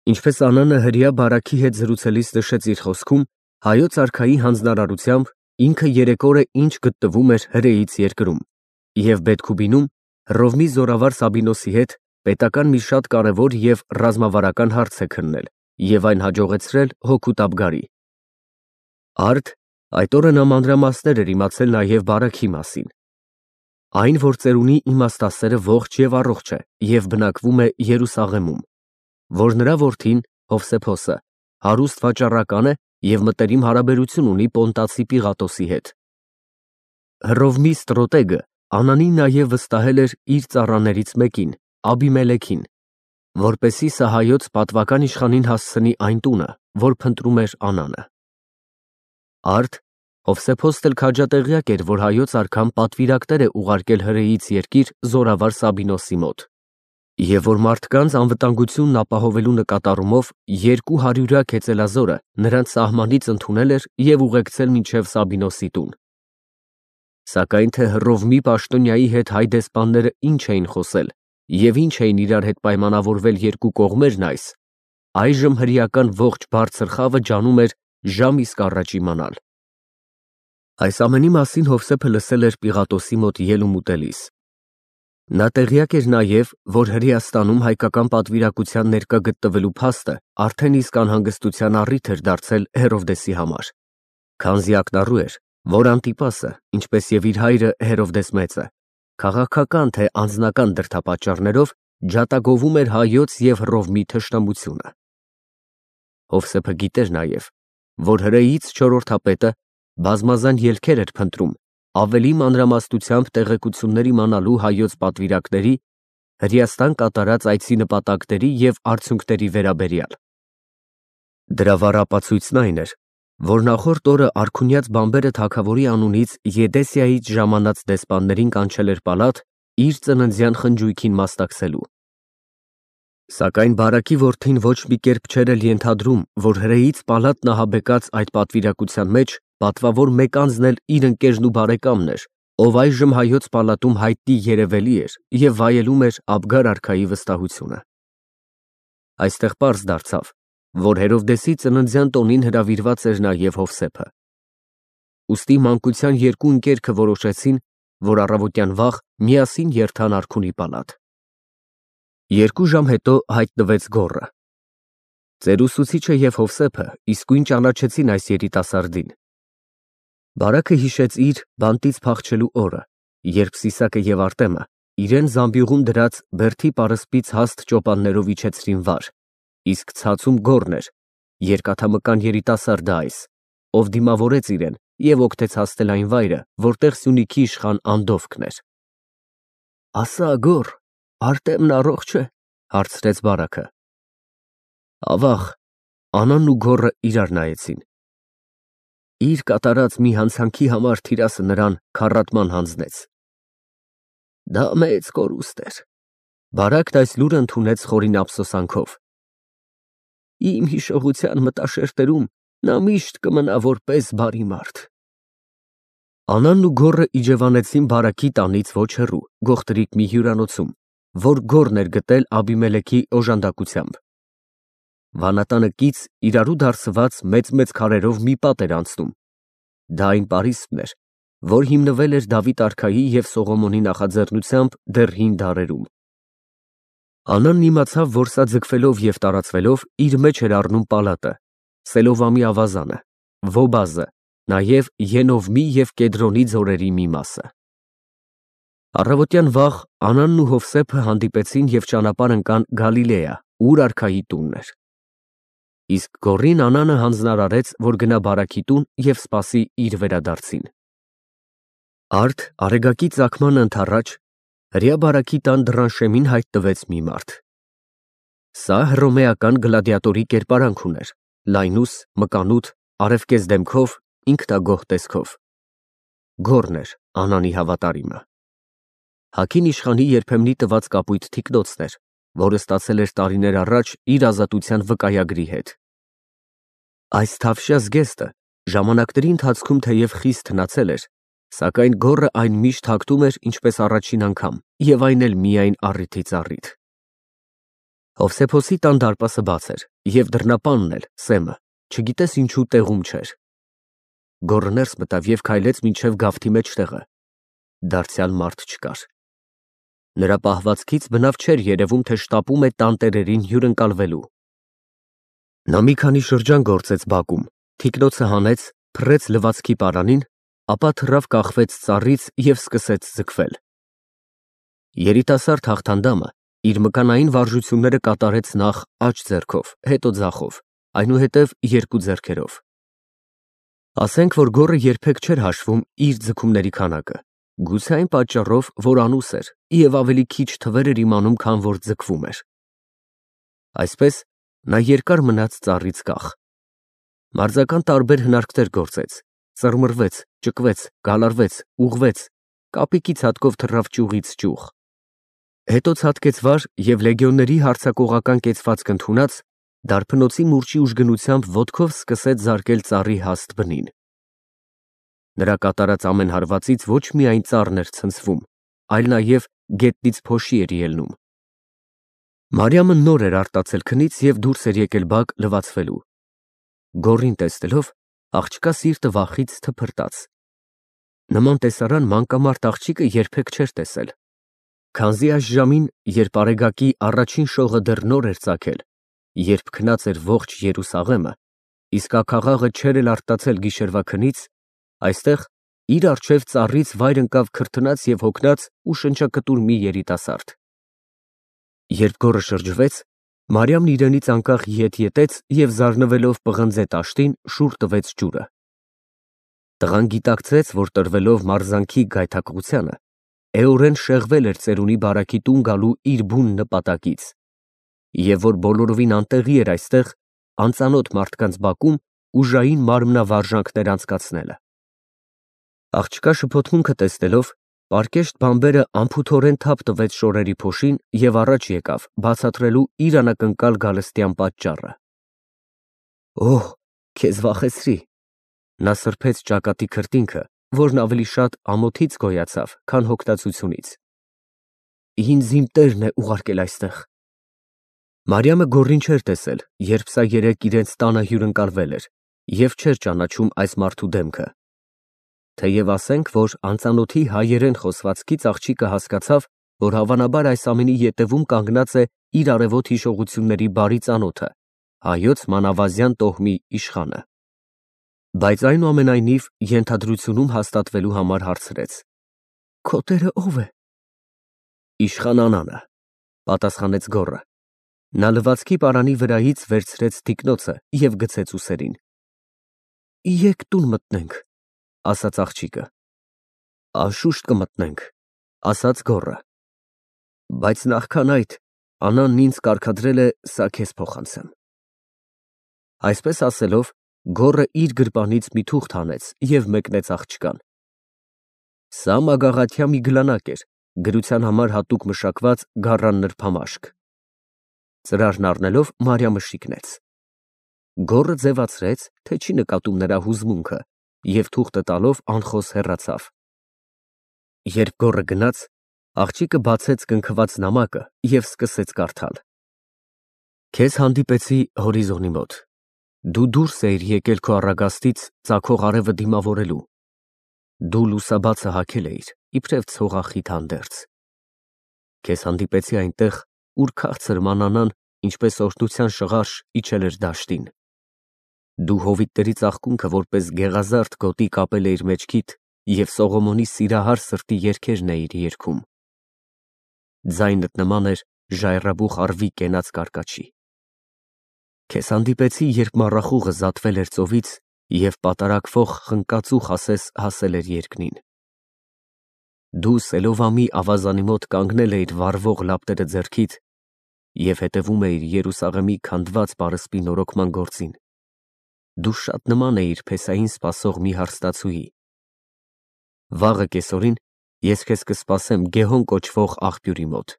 Ինչպես Անանը հրեա բարաքի հետ զրուցելիս նշեց իր խոսքում, հայոց արքայի հանձնարարությամբ ինքը երեք օր է ինչ գտնվում էր հրեից երկրում և Բեթքուբինում Հռովմի զորավար Սաբինոսի հետ պետական մի շատ կարևոր և ռազմավարական հարց է քննել և այն հաջողեցրել հոգու տապգարի։ Արդ այդ օրը նա մանրամասներ էր իմացել նաև բարաքի մասին։ Այն, որ ծերունի իմաստասերը ողջ և առողջ է և բնակվում է Երուսաղեմում, որ նրա որդին Հովսեփոսը հարուստ վաճառական է և մտերիմ հարաբերություն ունի Պոնտացի Պիղատոսի հետ։ Հռովմի ստրոտեգը Անանին նաև վստահել էր իր ծառաներից մեկին, Աբիմելեքին, որպեսզի սա հայոց պատվական իշխանին հասցնի այն տունը, որ փնտրում էր Անանը։ Արդ Հովսեփոսն էլ քաջատեղյակ էր, որ հայոց արքան պատվիրակներ է ուղարկել հրեից երկիր զորավար Սաբինոսի մոտ, և որ մարդկանց անվտանգությունն ապահովելու նկատառումով 200 հեծելազորը նրանց սահմանից ընդունել էր և ուղեկցել մինչև Սաբինոսի տուն։ Սակայն թե Հռովմի պաշտոնյայի հետ հայ դեսպանները ինչ էին խոսել և ինչ էին իրար հետ պայմանավորվել երկու կողմերն այժմ հրեական ողջ բարձր խավը ջանում էր ժամ իսկ առաջ իմանալ։ Այս ամենի մասին Հովսեփը լսել էր Պիղատոսի մոտ ելում ուտելիս։ Նա տեղյակ էր նաև, որ Հրեաստանում հայկական պատվիրակության ներկա գտնվելու փաստը արդեն իսկ անհանգստության առիթ էր դարձել Հերովդեսի համար, քանզի ակնառու էր, որ Անտիպասը, ինչպես և իր հայրը Հերովդես Մեծը, քաղաքական թե անձնական դրդապատճառներով ջատագովում էր հայոց և Հռովմի թշնամությունը։ Հովսեփը գիտեր նաև, որ հրեից չորրորդապետը բազմազան ելքեր էր փնտրում ավելի մանրամասնությամբ տեղեկություններ իմանալու հայոց պատվիրակների Հրեաստան կատարած այցի նպատակների և արդյունքների վերաբերյալ։ Դրա վառ ապացույցն այն էր, որ նախորդ օրը արքունյաց բամբերը թագավորի անունից Եդեսիայից ժամանած դեսպաններին կանչել էր պալատ իր ծննդյան խնջույքին մասնակցելու։ Սակայն բարաքի որդին ոչ մի կերպ չէր էլ ենթադրում, որ հրեից պալատն ահաբեկած այդ պատվիրակության մեջ պատվավոր մեկ անձն էլ իր ընկերն ու բարեկամն էր, ով այժմ հայոց պալատում հայտնի երևելի էր և վայելում էր Աբգար արքայի վստահությունը։ Այստեղ պարզ դարձավ, որ Հերովդեսի ծննդյան տոնին հրավիրված էր նաև Հովսեփը։ Ուստի մանկության երկու ընկերքը որոշեցին, որ առավոտյան վաղ միասին երթան արքունի պալատ։ 2 ժամ հետո հայտնվեց գոռը։ Ծերուսուցիչը և Հովսեփը իսկույն ճանաչեցին այս երիտասարդին։ Բարաքը հիշեց իր բանտից փախչելու օրը, երբ Սիսակը և Արտեմը իրեն զամբյուղում դրած բերդի պարսպից հաստ ճոպաններով իջեցրին վար, իսկ ցածում գոռն էր, երկաթամկան երիտասարդը այս, ով դիմավորեց իրեն և օգնեց հասնել այն վայրը, որտեղ Սյունիքի իշխան Անդովկն էր։ Ասա, գոռ, Արտեմն առողջ է, հարցրեց բարաքը։ Ավաղ, Անանն ու գոռը իրար նայեցին։ Իր կատարած մի հանցանքի համար թիրասը նրան քառատման հանձնեց։ Դա մեծ կորուստ էր։ Բարակն այս լուրը ընդունեց խորին ափսոսանքով։ Իմ հիշողության մտաշերտերում նա միշտ կմնա որպես բարի մարդ։ Անանն ու գոռը իջևանեցին բարակի տանից ոչ հեռու, գողտրիկ մի հյուրանոցում, որ գոռն էր գտել Աբիմելեքի օժանդակությամբ։ Վանատանը կից իրարու դարսված մեծ քարերով մի պատ էր անցնում։ Դա այն պարիսպն էր, որ հիմնվել էր Դավիթ արքայի և Սողոմոնի նախաձեռնությամբ դեռ հին դարերում։ Անանն իմացավ, որ սա ձգվելով և տարածվելով իր մեջ էր առնում պալատը, Սելովամի ավազանը, Վոբազը, նաև Ենովմի և Կեդրոնի ձորերի մի մասը։ Առավոտյան վաղ Անանն ու Հովսեփը հանդիպեցին և ճանապարհ ընկան Գալիլեա, ուր արքայի տունն էր։ Իսկ գոռին Անանը հանձնարարեց, որ գնա բարաքի տուն և սպասի իր վերադարձին։ Արդ արեգակի ծագմանը ընդառաջ հրեա բարաքի տան դռան շեմին հայտնվեց մի մարդ։ Սա հռոմեական գլադիատորի կերպարանք ուներ, լայնուս, մկանուտ, արևկեզ դեմքով, ինքնագոհ տեսքով։ Գոռն էր Անանի հավատարիմը։ Հագին իշխանի երբեմնի տված կապույտ թիկնոցն էր, որը ստացել էր տարիներ առաջ իր ազատության վկայագրի հետ։ Այս թավշյա զգեստը ժամանակների ընթացքում թեև խիստ հնացել էր, սակայն գոռը այն միշտ հագնում էր ինչպես առաջին անգամ և այն էլ միայն առիթից առիթ։ Հովսեփոսի տան դարպասը բաց էր, և դռնապանն էլ, Սեմը, չգիտես ինչու տեղում չէր։ Գոռը ներս մտավ և քայլեց մինչև գավթի մեջտեղը։ Դարձյալ մարդ չկար։ Նրա պահվածքից բնավ չէր երևում, թե շտապում է տանտերերին հյուրընկալվելու։ Նա մի քանի շրջան գործեց բակում, թիկնոցը հանեց, փռեց լվացքի պարանին, ապա թռավ կախվեց ծառից և սկսեց ձգվել։ Երիտասարդ հաղթանդամը իր մկանային վարժությունները կատարեց նախ աջ ձեռքով, հետո ձախով, այնուհետև երկու ձեռքերով։ Ասենք, որ գոռը երբեք չէր հաշվում իր ձգումների քանակը, գուցե այն պատճառով, որ անուս էր և ավելի քիչ թվեր էր իմանում, քան որ ձգվում էր։ Այսպես նա երկար մնաց ծառից կախ։ Մարզական տարբեր հնարքներ գործեց, ծռմռվեց, ճկվեց, գալարվեց, ուղղվեց, կապիկի ցատկով թռավ ճյուղից ճյուղ։ Հետո ցատկեց վար և լեգիոնների հարձակողական կեցվածք ընդունած, դարբնոցի մուրճի ուժգնությամբ ոտքով սկսեց զարկել ծառի հաստ բնին։ Նրա կատարած ամեն հարվածից ոչ միայն ծառն էր ցնցվում, այլ նաև գետնից փոշի էր ելնում։ Մարիամը նոր էր արտացել քնից և դուրս էր եկել բակ լվացվելու։ Գոռին տեսնելով, աղջկա սիրտը վախից թփրտաց։ Նման տեսարան մանկամարդ աղջիկը երբեք չէր տեսել։ Քանզի այս ժամին, երբ արեգակի առաջին շողը դեռ նոր էր ծագել, երբ քնած էր ողջ Երուսաղեմը, իսկ աքաղաղը չէր էլ արտացել գիշերվա քնից, այստեղ իր առջև ծառից վայր ընկավ քրթնած և հոգնած ու շնչակտուր մի երիտասարդ։ Երբ գոռը շրջվեց, Մարիամն իրենից անկախ ետ ետեց և զարնվելով պղնձե տաշտին, շուռ տվեց ջուրը։ Տղան գիտակցեց, որ տրվելով մարզանքի գայթակղությանը, էորեն շեղվել էր ծերունի բարաքի տուն գալու իր բուն նպատակից, և որ բոլորովին անտեղի էր այստեղ անծանոթ մարդկանց բակում ուժային մարմնավարժանքներ անցկացնելը։ Աղջկա շփոթմունքը տեսնելով, պարկեշտ բանբերը անփութորեն թափ տվեց շորերի փոշին և առաջ եկավ, բացատրելու իր անակնկալ գալստյան պատճառը։ Օհ, քեզ վախեցրի։ Նա սրբեց ճակատի քրտինքը, որն ավելի շատ ամոթից գոյացավ, քան հոգնածությունից։ Ինձ իմ տերն է ուղարկել այստեղ։ Մարիամը գոռին չէր տեսել, երբ սա երեկ իրենց տանը հյուրընկալվել էր, և չէր ճանաչում այս մարդու դեմքը։ Թեև ասենք, որ անծանոթի հայերեն խոսվածքից աղջիկը հասկացավ, որ հավանաբար այս ամենի ետևում կանգնած է իր արևոտ հիշողությունների բարի ծանոթը, հայոց մանավազյան տոհմի իշխանը։ Բայց այնուամենայնիվ ենթադրությունում հաստատվելու համար հարցրեց. Քո տերը ո՞վ է։ Իշխան Անանը, պատասխանեց գոռը։ Նա լվացքի պարանի վրայից վերցրեց թիկնոցը և գցեց ուսերին։ Եկ տուն մտնենք, ասաց աղջիկը։ Անշուշտ կմտնենք, ասաց գոռը։ Բայց նախքան այդ, Անանն ինձ կարգադրել է սա քեզ փոխանցեմ։ Այսպես ասելով, գոռը իր գրպանից մի թուղթ հանեց և մեկնեց աղջկան։ Սա մագաղաթյա մի գլանակ էր, գրության համար հատուկ մշակված գառան նրբամաշկ։ Ծրարն առնելով Մարիամը շիկնեց։ Գոռը ձևացրեց, թե չի նկատում նրա հուզմունքը, և թուղթը տալով անխոս հեռացավ։ Երբ գոռը գնաց, աղջիկը բացեց կնքված նամակը և սկսեց կարդալ. Քեզ հանդիպեցի հորիզոնի մոտ։ Դու դուրս էիր եկել քո առագաստից ծագող արևը դիմավորելու։ Դու լուսաբացը հագել էիր, իբրև ցողախիտ հանդերձ։ Քեզ հանդիպեցի այնտեղ, ուր քաղցր մանանան, ինչպես օրհնության շղարշ, իջել էր դաշտին։ Դու հովիտների ծաղկունքը որպես գեղազարդ գոտի կապել էիր մեջքիդ և Սողոմոնի սիրահար սրտի երգերն էիր երգում։ Ձայնդ նման էր ժայռաբուխ առվի կենաց կարկաչի։ Քեզ հանդիպեցի, երբ մառախուղը զատվել էր ծովից և պատարակվող խնկածուխ ասես հասել էր երկնին։ Դու Սելովամի ավազանի մոտ կանգնել էիր վառվող լապտերը ձեռքիդ և հետևում էիր Երուսաղեմի քանդված պարսպի նորոգման գործին։ Դու շատ նման էիր փեսային սպասող մի հարստացուի։ Վաղը կեսօրին ես քեզ կսպասեմ Գեհոն կոչվող աղբյուրի մոտ։